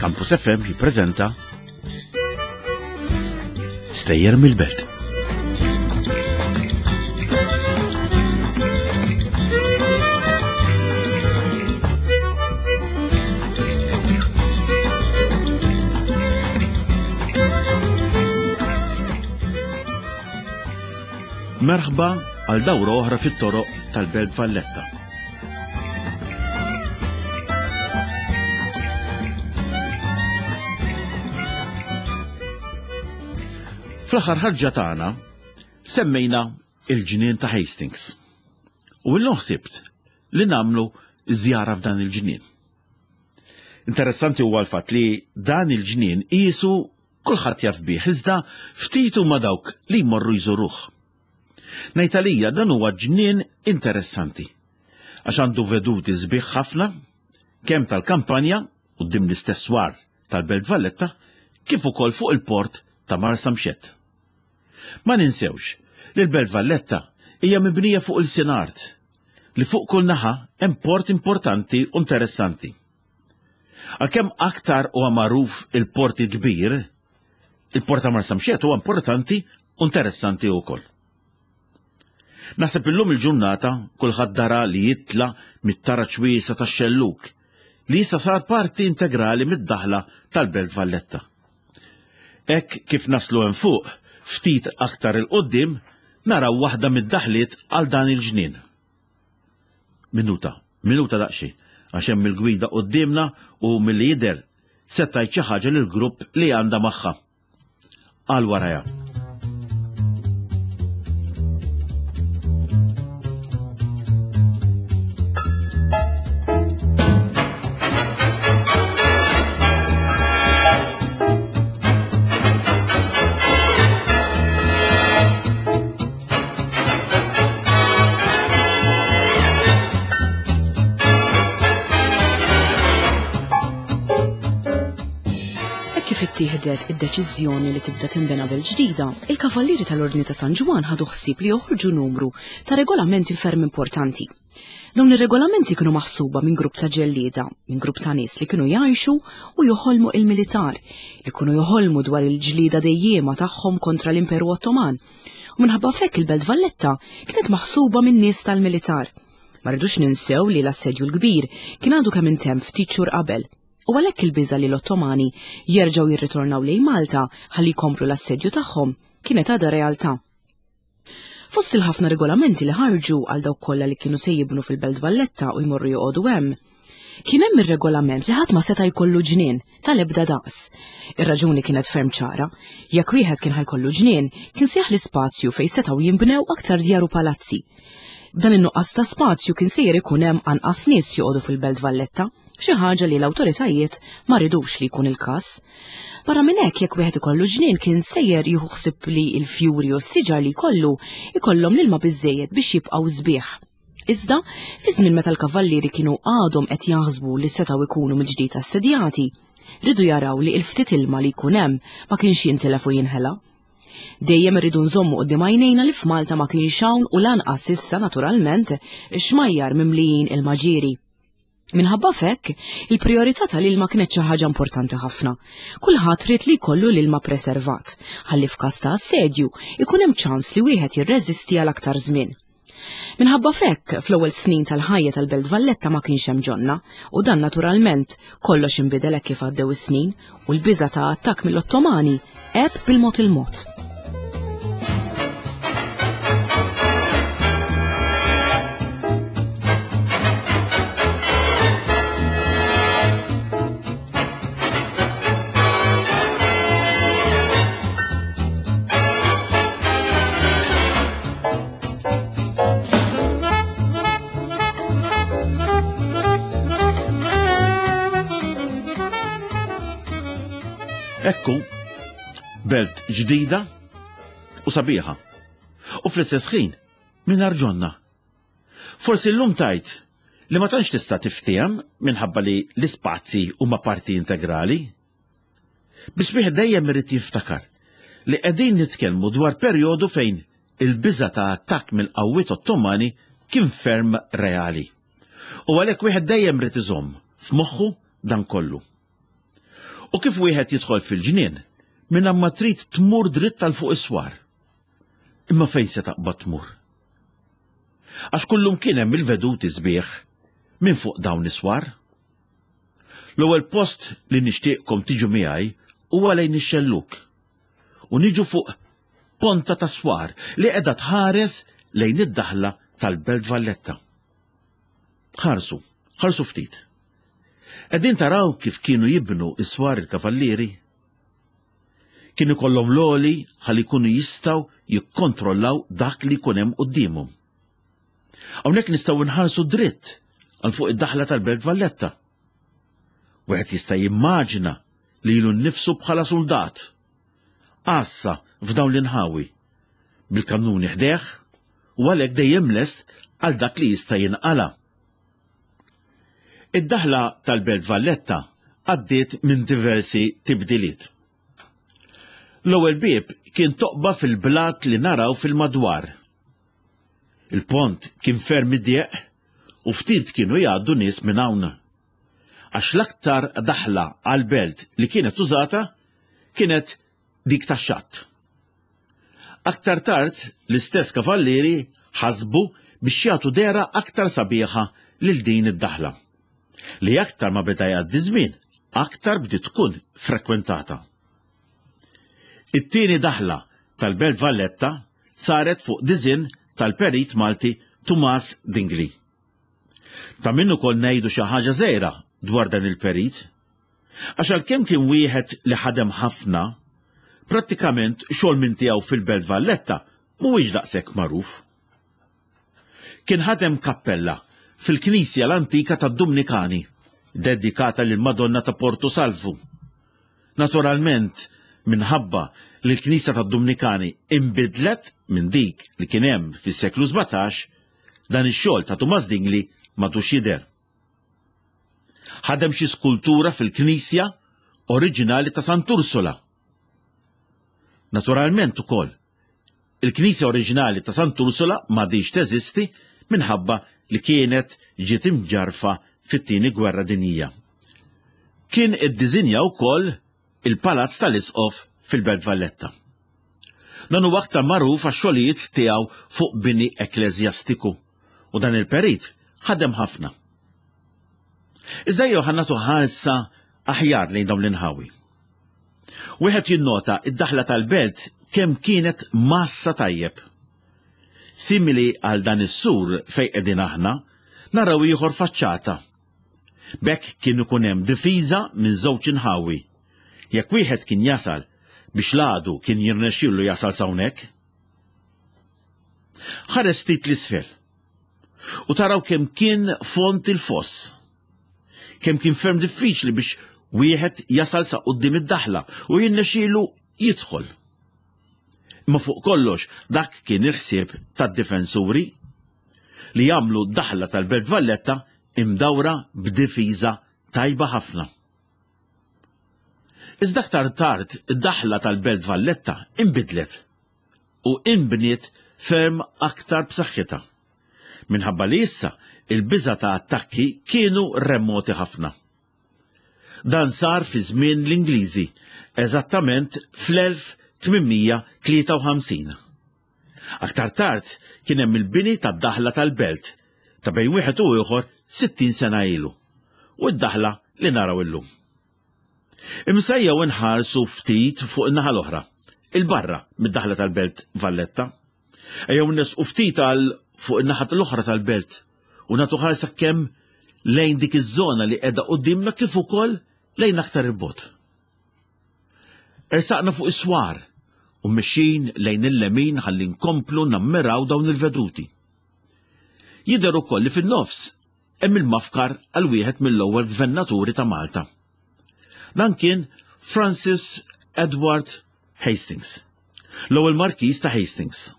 Campus FM jippreżenta Stejjer mill-Belt. Merħba għal dawra oħra fit-toroq tal-Belt Valletta. Fl-aħħar ħarġa tagħna semmejna il-ġnien ta' Hastings. U illum ħsibt li nagħmlu żjara f'dan il-ġnien. Interessanti huwa l-fatt li dan il-ġnien qisu kulħadd jaf bih iżda ftit huma dawk li jmorru jżuruh. Ngħid għalija dan huwa ġnien interessanti għax għandu veduti sbieħ ħafna kemm tal-kampanja quddiem l-istess swar tal-Belt Valletta kif ukoll fuq il-port ta' Marsamxett. Ma ninsewx li l-Belt Valletta hija mibnija fuq ilsien art li fuq kull naħa hemm port importanti u interessanti. Għalkemm aktar huwa magħruf il-port il-kbir, il-port ta' Marsamxett huwa importanti u interessanti wkoll. Naħseb illum il-ġurnata kulħadd dara li jitla' mit-taraġ wiesa' tax-Xellug li issa sar parti integrali mid-daħla tal-Belt Valletta. Hekk kif naslu hemm fuq, ftit aktar 'il quddiem, naraw waħda mid-daħliet għal dan il-ġnien. Minuta, minuta daqsxejn, għax hemm il-gwida quddiemna u milli jidher se tgħid xi ħaġa lill-grupp li għandha magħha. Għal warajha. Kif ittieħdet id-deċiżjoni li tibda tinbena belt ġdida, il-Kavallieri tal-Ordni ta' San Ġwann ħadu ħsieb li joħorġu numru ta' regolamenti ferm importanti. Dawn ir-regolamenti kienu maħsuba minn grupp ta' ġellieda, minn grupp ta' nies li kienu jgħixu u joħolmu il-militar, li kienu joħolmu dwar il-ġlieda dejjiema tagħhom kontra l-Imperu Ottoman. U minħabba f'hekk il-Belt Valletta kienet maħsuba minn nies tal-militar. Ma rridux ninsew li l-Assedju l-Kbir kien għadu kemm intemm ftit xhur qabel. U għalhekk il-biża' li l-Ottomani jerġgħu jirritornaw lejn Malta ħalli jkomplu l-assedju tagħhom kienet għadha realtà. Fost il-ħafna regolamenti li ħarġu għal dawk kollha li kienu se jibnu fil-Belt Valletta u jmorru joqogħdu hemm, kien hemm ir-regolament li ħadd ma seta' jkollu ġnien tal-ebda daqs. Ir-raġuni kienet ferm ċara. Jekk wieħed kien ħajkollu ġnien, kien se jaħli spazju fejn setgħu jinbnew aktar djar u palazzi. B'dan in-nuqqas ta' spazju kien sejjer ikun hemm anqas nies joqogħdu fil-Belt Valletta. xi ħaġa li l-awtoritajiet ma ridux li jkun il-każ. Barra minn hekk jekk wieħed ikollu ġnien kien sejjer jieħu ħsieb li l-fjuri u s-siġar li jkollu ikollhom l-ilma biżżejjed biex jibqgħu sbieħ. Iżda, fi żmien meta l-kavallieri kienu għadhom qed jaħsbu li setgħu jkunu mill-ġdid assedjati, ridu jaraw li l-ftit ilma li jkun hemm ma kienx jintilef u jinħela. Dejjem irridu nżommu quddiem għajnejna li f'Malta ma kienx hawn u lanqas issa naturalment xmajjar mimlijin ilma ġieri. Minħabba f'hekk, il-prijorità tal-ilma kienet xi ħaġa importanti ħafna. Kulħadd ried li jkollu l-ilma preservat, ħalli f'każ ta' assedju ikun hemm ċans li wieħed jirreżisti għal aktar żmien. Minħabba f'hekk, fl-ewwel snin tal-ħajja tal-Belt Valletta ma kienx hemm ġonna, u dan naturalment kollox inbidel hekk kif għaddew is-snin u l-biża' ta' attakk mill-Ottomani għeb bil-mod il-mod. Ekku, belt ġdida u sabiħa. U fl-istess ħin, mingħajr ġonna. Forsi llum tajt li ma tantx tista' tiftiehem minħabba li l-ispazji huma parti integrali. Biss wieħed dejjem irid jiftakar li qegħdin nitkellmu dwar perjodu fejn il-biża' ta' attakk mill-qawwiet Ottomani kien ferm reali. U għalhekk wieħed dejjem ried iżomm f'moħħu dan kollu. U kif wieħed jidħol fil-ġnien, minn ma trid tmur dritt għal fuq is-swar. Imma fejn se taqbad tmur? Għax kullum kien hemm il-veduti sbieħ minn fuq dawn is-swar. L-ewwel post li nixtieqkom tiġu miegħi huwa lejn ix-xellug. U niġu fuq ponta ta' swar li qiegħda tħares lejn id-daħla tal-Belt Valletta. Ħarsu, ħarsu ftit. Qegħdin taraw kif kienu jibnu is-swar il-kavallieri? Kien ikollhom l-għoli ħalli jkunu jistgħu jikkontrollaw dak li jkun hemm quddiemhom. Hawnhekk nistgħu nħarsu dritt għal fuq id-daħla tal-Belt Valletta. Wieħed jista' jimmaġina lilu nnifsu bħala suldat. Għassa f'dawn l-inħawi, bil-kannuni ħdejh u għalhekk dejjem lest għal dak li jista' jinqala'. Id-daħla tal-Belt Valletta għaddiet minn diversi tibdiliet. L-ewwel bieb kien toqba fil-blat li naraw fil-madwar. Il-pont kien ferm idjeq u ftit kienu jgħaddu nies minn hawn. Għax l-aktar daħla għall-belt li kienet użata kienet dik tax-xatt. Aktar tard l-istess kavallieri ħasbu biex jagħtu dehra aktar sabiħa lil din id-daħla, li aktar ma beda jgħaddi żmien, aktar bdiet tkun frekwentata. It-tieni daħla tal-Belt Valletta saret fuq diżinn tal-perit Malti Tumas Dingli. Ta' min ukoll ngħidu xi ħaġa żgħira dwar dan il-perit. Għax għalkemm kien wieħed li ħadem ħafna, prattikament xogħol minn tiegħu fil-Belt Valletta mhuwiex daqshekk magħruf. Kien ħadem kappella fil-knisja l-antika tad-Dumnikani, dedikata lill-Madonna ta' Porto Salvu. Naturalment, minħabba li l-knisja tad-Dumnikani inbidlet minn dik li kien hemm fis-seklu 17, dan ix-xogħol ta' Tumas Dingli m'għadux jidher. Ħadem xi skultura fil-knisja oriġinali ta' Sant'Ursula. Naturalment ukoll, il-knisja oriġinali ta' Sant'Ursula m'għadhiex teżisti minħabba li kienet ġiet imġarrfa fit-Tieni Gwerra Dinjija. Kien iddiżinja wkoll il-Palazz tal-Isqof fil-Belt Valletta. Dan huwa aktar magħruf għax-xogħlijiet tiegħu fuq bini ekkleżjastiku u dan il-perit ħadem ħafna. Iżda jew ħa nagħtu ħarsa aħjar lejn dawn l-inħawi. Wieħed jinnota id-daħla tal-belt kemm kienet massa tajjeb. Simili għal dan is-sur fejn qegħdin aħna, naraw ieħor faċċata. B'hekk kien ikun hemm difiża minn żewġ inħawi. Jekk wieħed kien jasal biex l-għadu kien jirnexxielu jasal s'hawnhekk. Ħares ftit l-isfel u taraw kemm kien fond il-foss. Kemm kien ferm diffiċli biex wieħed jasal sa quddiem id-daħla u jirnexxielu jidħol. Imma fuq kollox dak kien il-ħsieb tad-difensuri li jagħmlu d-daħla tal-Belt Valletta imdawra b'difiża tajba ħafna. Iżda aktar tard id-daħla tal-Belt Valletta inbidlet u inbniet ferm aktar b'saħħitha. Minħabba li issa il-biża' ta' attakki kienu remoti ħafna. Dan sar fi żmien l-Ingliżi, eżattament fl-1853. Aktar tard kien hemm il-bini tad-daħla tal-belt ta' bejn wieħed u ieħor 60 sena ilu u d-daħla li naraw illum. Imma ejjew inħarsu ftit fuq in-naħa l-oħra, il-barra mid-daħla tal-belt Valletta. Ejjew nesqu ftit għal fuq in-naħa l-oħra tal-belt u nagħtu ħarsa kemm lejn dik iż-żona li qiegħda quddiemna kif ukoll lejn aktar il-bogħod. Ersaqna fuq is-swar u mixin lejn il-lemin ħalli nkomplu nammiraw dawn il-veduti. Jidher ukoll li fin-nofs hemm il-mafkar għal wieħed mill-ewwel gvernaturi ta' Malta. Dan kien Francis Edward Hastings, l-ewwel Markiż ta' Hastings.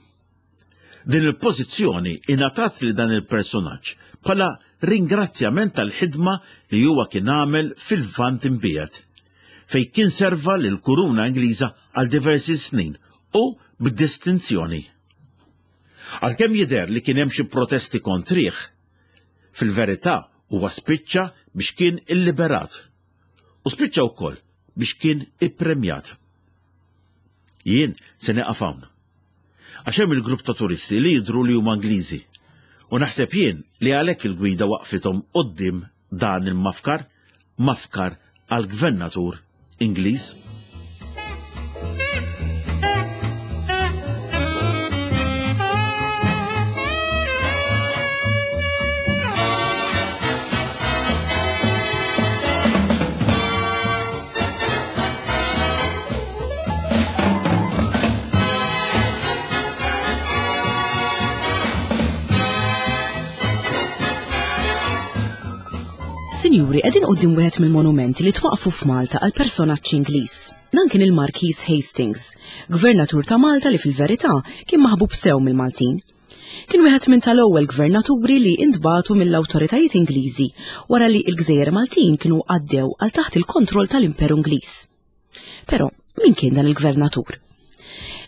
Din il-pożizzjoni ingħatat li dan il-personaġġ bħala ringrazzjament tal-ħidma li huwa kien għamel fil-Lvant imbiegħed, fejn kien serva lill-Kuruna Ingliża għal diversi snin u b'distinzjoni. Għalkemm jidher li kien hemm xi protesti kontrih, fil-verità huwa spiċċa biex kien illiberat. U spiċċa wkoll biex kien ippremjat. Jien se nieqaf hawn. Għax hemm il-grupp ta' turisti li jidhru li huma Ingliżi. U naħseb jien li għalhekk il-gwida waqfithom quddiem dan il-mafkar, mafkar għall-gvernatur Ingliż. Sinjuri, qegħdin quddiem wieħed mill-monumenti li twaqfu f'Malta għal personaġġ Ingliż. Dan kien il-Markiż Hastings, gvernatur ta' Malta li fil-verità kien maħbub sew mill-Maltin. Kien wieħed minn tal-ewwel gvernaturi li intbagħtu mill-awtoritajiet Ingliżi wara li l-gżejjer Maltin kienu għaddew għal taħt il-kontroll tal-Imperu Ingliż. Però, min kien dan il-gvernatur?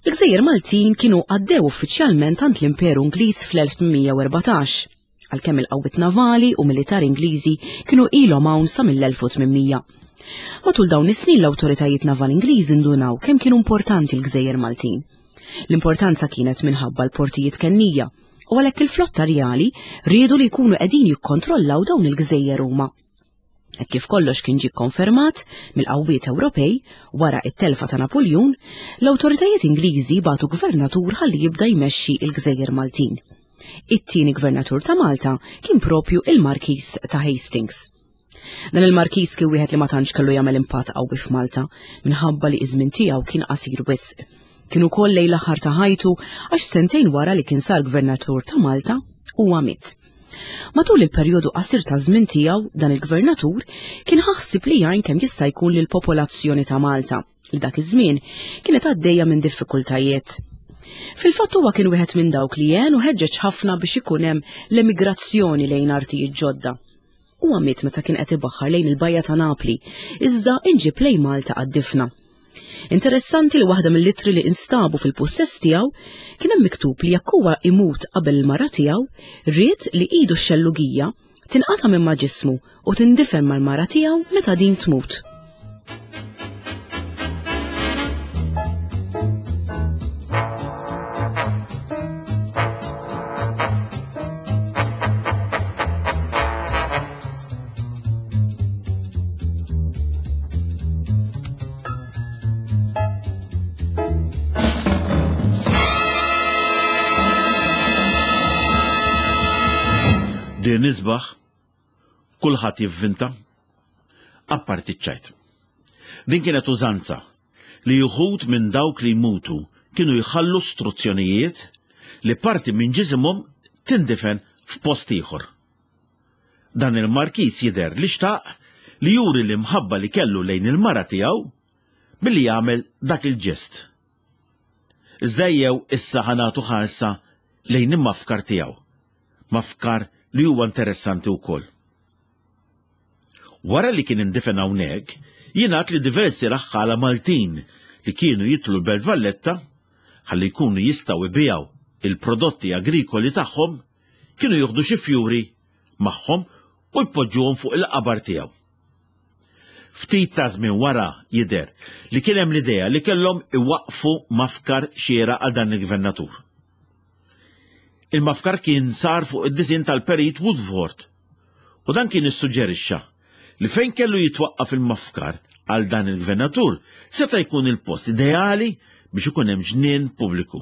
Il-gżejjer Maltin kienu għaddew uffiċjalment għand l-Imperu Ingliż fl-1814, għalkemm il-qawwiet navali u militari Ingliżi kienu ilhom hawn sa mill-1800. Matul dawn is-snin l-awtoritajiet navali Ingliżi ndunaw kemm kienu importanti l-gżejjer Maltin. L-importanza kienet minħabba l-portijiet kennija u għalhekk il-flotta rjali riedu li jkunu qegħdin jikkontrollaw dawn il-gżejjer huma. Hekk kif kollox kien ġie konfermat mill-qawwiet Ewropej wara it-telfa ta' Napoljun, l-awtoritajiet Ingliżi bagħtu gvernatur ħalli jibda jmexxi l-gżejjer Maltin. It-tieni gvernatur ta' Malta kien propju il-Markiż ta' Hastings. Dan il-Markiż kien wieħed li ma tantx kellu jagħmel impatt qawwi f'Malta minħabba li iż-żmien tiegħu kien qasir wisq. Kien ukoll lejn l-aħħar ta' ħajtu għax sentejn wara li kien sar gvernatur ta' Malta huwa miet. Matul il-perjodu qasir ta' żmien tiegħu dan il-gvernatur kien ħassib li jgħin kemm jista' jkun lill-popolazzjoni ta' Malta li dak iż-żmien kienet għaddejja minn diffikultajiet. Fil-fatt huwa kien wieħed minn dawk li għen u ħeġġeġ ħafna biex ikun hemm l-emigrazzjoni lejn artijiet ġodda. Huwa miet meta kien qed ibaħħar lejn il-bajja ta' Napli, iżda inġib lejn Malta għad-difna. Interessanti li waħda mill-ittri li instabu fil-pussess tiegħu kien hemm miktub li jekk huwa imut qabel il-mara tiegħu, ried li idu x-xellugija tinqata' minn ma' ġismu u tindifen mal-mara tiegħu meta din tmut. Din isbaħ, kulħadd jivvinta, apparti ċ-ċajt. Din kienet użanza li uħud minn dawk li jmutu kienu jħallu struzzjonijiet li parti minn ġisimhom tindifen f'post ieħor. Dan il-markiż jidher li xtaq li juri l-imħabba li kellu lejn il-mara tiegħu billi jagħmel dak il-ġest. Iżda ejjew issa ħa nagħtu ħarsa lejn il-mafkar tiegħu, mafkar li huwa interessanti wkoll. Wara li kien indifen hawnhekk, jingħad li diversi raħħala Maltin li kienu jitlu l-Belt Valletta ħalli jkunu jistgħu jbigħu il-prodotti agrikoli tagħhom kienu jieħdu xi fjuri magħhom u jpoġġuhom fuq il-qabar tiegħu. Ftit ta' żmien wara jidher li kien hemm l-idea li kellhom iwaqqfu mafkar xieraq għal dan il-gvernatur. Il-mafkar kien sar fuq id-disinn tal-Perit Woodford u dan kien issuġġerixxa li fejn kellu jitwaqqaf il-mafkar għal dan il-gvernatur seta' jkun il-post ideali biex ikun hemm ġnien pubbliku.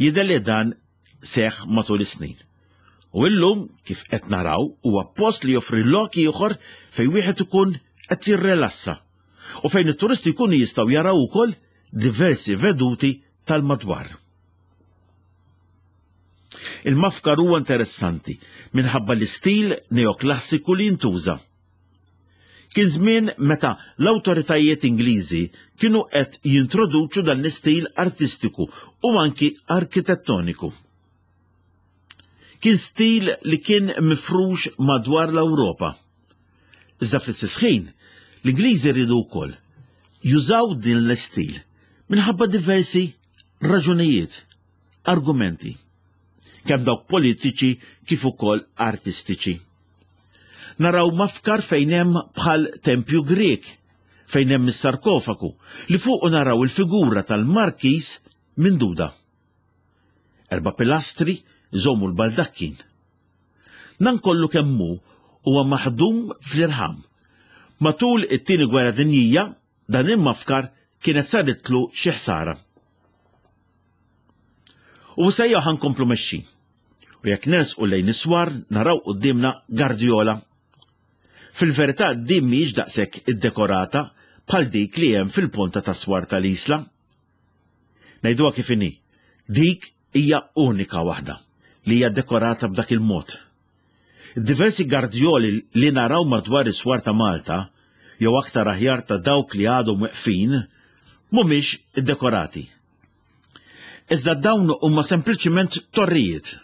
Jidher li dan seħħ matul is-snin. U illum, kif qed naraw, huwa post li joffri lok ieħor fejn wieħed ikun qed jirrelassa u fejn it-turisti jkunu jistgħu jaraw ukoll diversi veduti tal-madwar. Il-mafkar huwa interessanti minħabba l-istil neoklassiku li jintuża. Kien żmien meta l-awtoritajiet Ingliżi kienu qed jintroduċu dan l-istil artistiku u anki arkitettoniku. Kien stil li kien mifrux madwar l-Ewropa. Iżda fl-istess ħin, l-Ingliżi riedu wkoll jużaw din l-istil minħabba diversi raġunijiet, argumenti, kemm dawk politiċi kif ukoll artistiċi. Naraw mafkar fejn hemm bħal tempju Grieg, fejn hemm is-sarkofagu li fuqu naraw il-figura tal-Markiż Minduda. Erba' pilastri jżommu l-baldakkin. Dan kollu kemm hu huwa maħdum fl-irħam. Matul it-Tieni Gwerra Dinjija dan il-mafkar kienet saritlu xi ħsara. U issa ejja ħa nkomplu mexxin. U jekk nersqu lejn is-swar naraw quddiemna Gardiola. Fil-verità din mhijiex daqshekk iddekorata bħal dik li hemm fil-ponta tas-swar tal-Isla. Ngħiduha kif inhi, dik hija unika waħda li hija dekorata b'dak il-mod. Diversi gardjoli li naraw madwar is-swar ta' Malta, jew aktar aħjar ta' dawk li għadhom weqfin, mhumiex iddekorati. Iżda dawn huma sempliċiment torrijiet,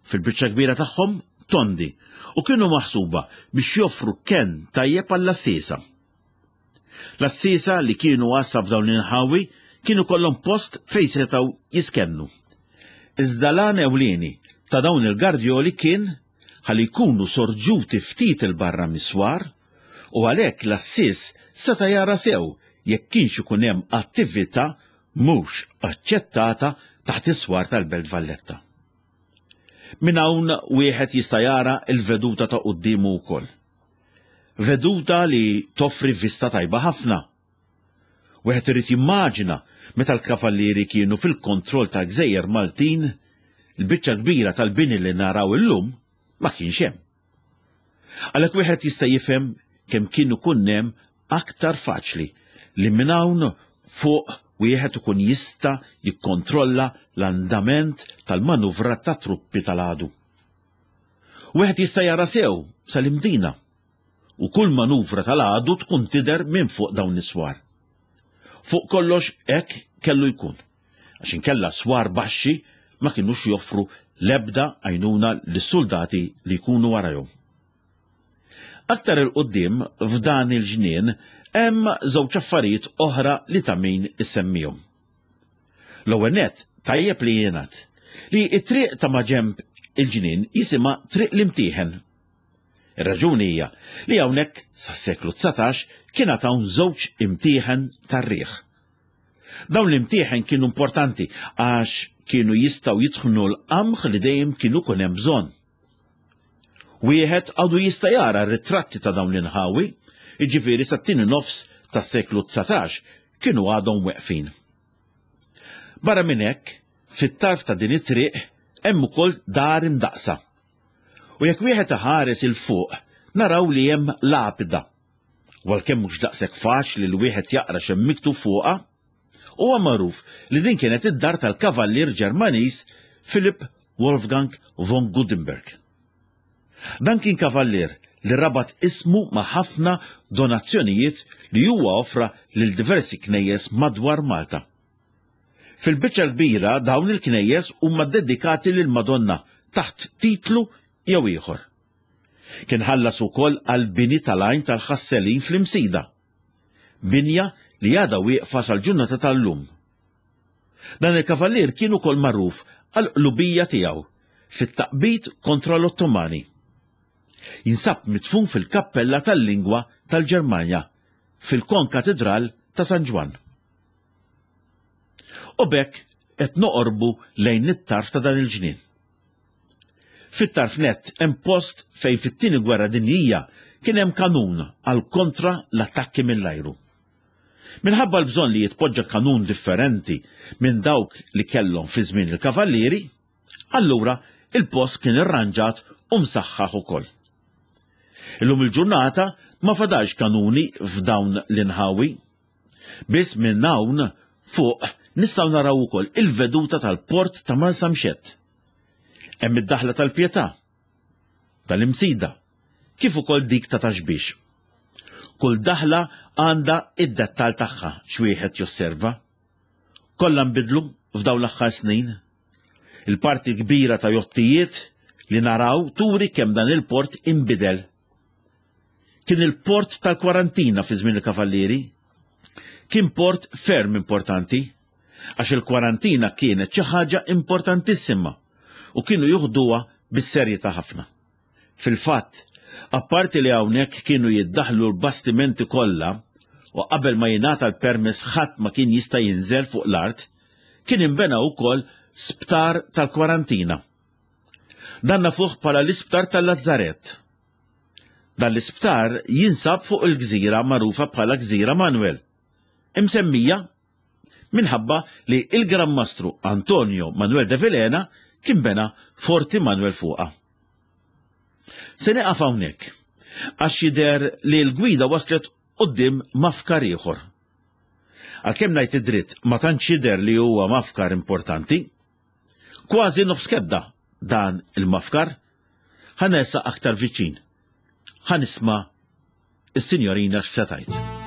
fil-biċċa kbira tagħhom tondi, u kienu maħsuba biex joffru kenn tajjeb għall-għassiesa. L-għassiesa li kienu għassa f'dawn l-inħawi kienu kollhom post fejn setgħu jiskennu. Iżda l-għan ewlieni ta' dawn il-gardjoli kien ħalli jkunu sorġuti ftit 'il barra mis-swar u għalhekk l-għassies seta' jara sew jekk kienx ikun hemm attività mhux aċċettata taħt is-swar tal-Belt Valletta. Minn hawn wieħed jista' jara l-veduta ta' quddiemu wkoll. Veduta li toffri vista tajba ħafna. Wieħed irid jimmaġina meta l-kavallieri kienu fil-kontroll ta' gżejjer Maltin, il-biċċa kbira tal-bini li naraw illum ma kienx hemm. Għalhekk wieħed jista' jifhem kemm kien ikun hemm aktar faċli li minn hawn fuq wieħed ikun jista' jikkontrolla l-andament tal-manuvra ta' truppi tal-għadu. Wieħed jista' jara sew sal-Imdina u kull manuvra tal-għadu tkun tidher minn fuq dawn is-swar. Fuq kollox hekk kellu jkun, għax inkella swar baxxi ma kinux joffru l-ebda għajnuna lis-suldati li jkunu warajhom. Aktar 'il quddiem f'dan il-ġnien hemm żewġ affarijiet oħra li ta' min isemmihom. L-ewwel nett tajjeb li jingħad li t-triq ta' maġenb il-ġnien jisimha Triq l-Imtieħen. Ir-raġuni hija li hawnhekk sas-seklu 19 kien għad hawn żewġ imtieħen tar-riħ. Dawn l-imtieħen kienu importanti għax kienu jistgħu jitħnu l-qamħ li dejjem kienu kun hemm bżonn. Wieħed għadu jista' jara ritratti ta' dawn l-inħawi, jiġifieri sat-tieni nofs tas-seklu 19 kienu għadhom weqfin. Barra minn hekk, fit-tarf ta' din it-triq hemm ukoll dar imdaqqsa. U jekk wieħed iħares 'il fuq, naraw li hemm lapida. U għalkemm mhux daqshekk faċli li wieħed jaqra x'hemm miktub fuqha, huwa magħruf li din kienet id-dar tal-kavallier Ġermaniż Philipp Wolfgang von Gudenberg. Dan kien kavallier li rabat ismu ma' ħafna donazzjonijiet li huwa offra lil diversi knejjes madwar Malta. Fil-biċċa l-kbira dawn il-knejjes huma ddedikati lill-Madonna taħt titlu jew ieħor. Kien ħallas ukoll għall-bini tal-għajn tal-Ħasselin fl-Imsida, binja li għadha wieqfa sal-ġurnata tal-lum. Dan il-kavallier kien ukoll magħruf għall-qlubija tiegħu fit-taqbid kontra l-Ottomani. Jinsab midfun fil-Kappella tal-Lingwa tal-Ġermanja fil-Konkatidral ta' San Ġwann. U b'hekk qed noqorbu lejn it-tarf ta' dan il-ġnien. Fit-tarf nett hemm post fejn fit-Tieni Gwerra Dinjija kien hemm kanun għal kontra l-attakki mill-ajru. Minħabba l-bżonn li jitpoġġa kanun differenti minn dawk li kellhom fi żmien il-Kavallieri, allura il-post kien irranġat u msaħħaħ ukoll. Illum il-ġurnata ma fadalx kanuni f'dawn l-inħawi. Biss minn hawn fuq nistgħu naraw ukoll il-veduta tal-port ta' Marsamxett. Hemm id-daħla tal-Pietà, tal-Imsida, kif ukoll dik ta' Taxbix. Kull daħla għandha id-dettal tagħha x'wieħed josserva. Kollha nbidlu f'dawn l-aħħar snin. Il-parti kbira ta' jottijiet li naraw turi kemm dan il-port inbidel. Kien il-port tal-kwarantina fi żmien il-Kavallieri. Kien port ferm importanti, għax il-kwarantina kienet xi ħaġa importantissima u kienu juħduha bis-serjetà ħafna. Fil-fatt, apparti li hawnhekk kienu jiddaħħlu l-bastimenti kollha, u qabel ma jingħata l-permess ħadd ma kien jista' jinżel fuq l-art, kien inbena wkoll sptar tal-kwarantina. Dan nafuh bħala l-isptar tal-Lazzarett. Dan l-isptar jinsab fuq il-gżira magħrufa bħala Gżira Manuel, imsemmija minħabba li il-Gran Mastru Antonio Manuel de Vilhena kien bena Forti Manuel fuqha. Se nieqaf hawnhekk għax jidher li l-gwida waslet quddiem mafkar ieħor. Għalkemm ngħid id-dritt ma tantx jidher li huwa mafkar importanti, kważi nofs kedda dan il-mafkar, ħa nersaq aktar viċin. Ħa nisma' is-sinjorina x'se tgħid.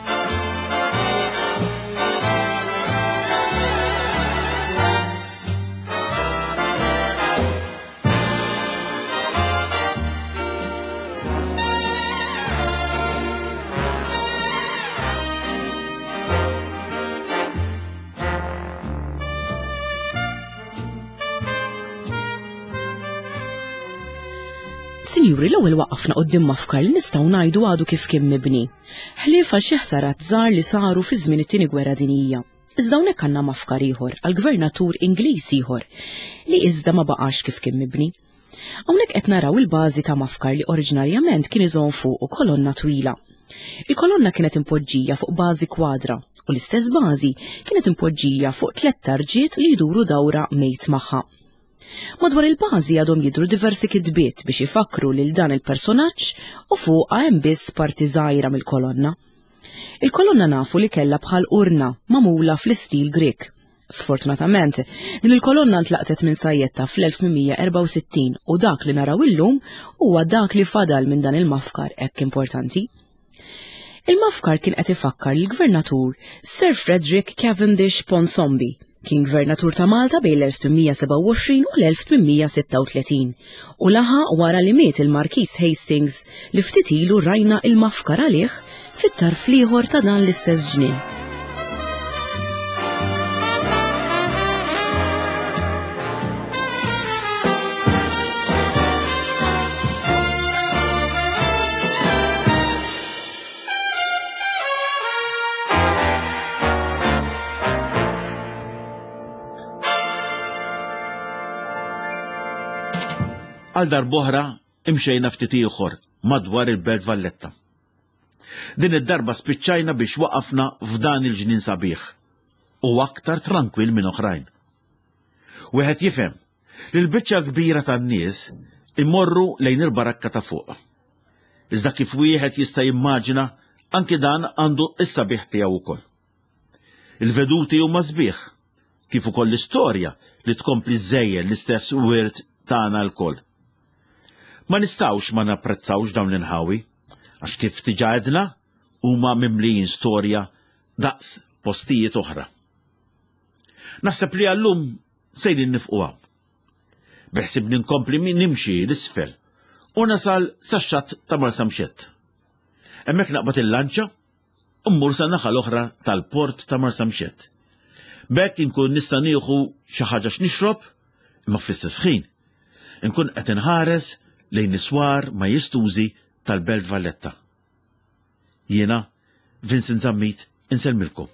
Sinjuri, l-ewwel waqafna quddiem mafkar li nistgħu ngħidu għadu kif kien mibni. Ħlief għal xi ħsarat żgħar li saru fi żmien it-tieni gwerra dinjija. Iżda hawnhekk għandna mafkar ieħor għal gvernatur Ingliż ieħor li iżda ma baqax kif kien mibni. Hawnhekk qed naraw il-bażi ta' mafkar li oriġinarjament kien iżomm fuqu kolonna twila. Il-kolonna kienet impoġġija fuq bażi kwadra u l-istess bażi kienet impoġġija fuq tlett tarġiet li jduru dawra mejt magħha. Madwar il-bażi għadhom jidhru diversi kitbiet biex ifakkru lil dan il-personaġġ u fuqha hemm biss parti żgħira mill-kolonna. Il-kolonna nafu li kellha bħal urna magħmula fl-istil Grieg. Sfortunatament, din il-kolonna ntlaqtet minn sajjetta fl-1864 u dak li naraw illum huwa dak li fadal minn dan il-mafkar hekk importanti. Il-mafkar kien qed ifakkar lill-Gvernatur Sir Frederick Cavendish Ponsonby, kien Gvernatur ta' Malta bejn l-1827 u l-1836 u laħaq wara li miet il-Markiż Hastings li ftit ilu rajna il-mafkar għalih fit-tarf l-ieħor ta' dan l-istess ġnien. Għal darb'oħra imxejna ftit ieħor madwar il-Belt Valletta. Din id-darba spiċċajna biex waqafna f'dan il-ġnien sabiħ u aktar trankwil minn oħrajn. Wieħed jifhem li l-biċċa l-kbira tan-nies imorru lejn il-barakka ta' fuq. Iżda kif wieħed jista' jimmaġina anki dan għandu s-sabiħ tiegħu wkoll. Il-veduti huma sbieħ, kif ukoll l-istorja li tkompli żżejjen l-istess wirt tagħna lkoll. Ma nistgħux ma napprezzawx dawn l-inħawi, għax kif diġà għedna huma mimlijin storja daqs postijiet oħra. Naħseb li għallum sejrin nifqu hawn. Beħsibni nkompli nimxi l-isfel u nasal sax-xatt ta' Marsamxett. Hemmhekk naqbad il-lanċa u mmur sa naħa l-oħra tal-port ta' Marsamxett. B'hekk inkun nista' nieħu xi ħaġa x'nixrob, imma fl-istess ħin inkun qed inħares lejn is-swar majestużi tal-Belt Valletta. Jiena, Vincent Zammit, insellmilkom.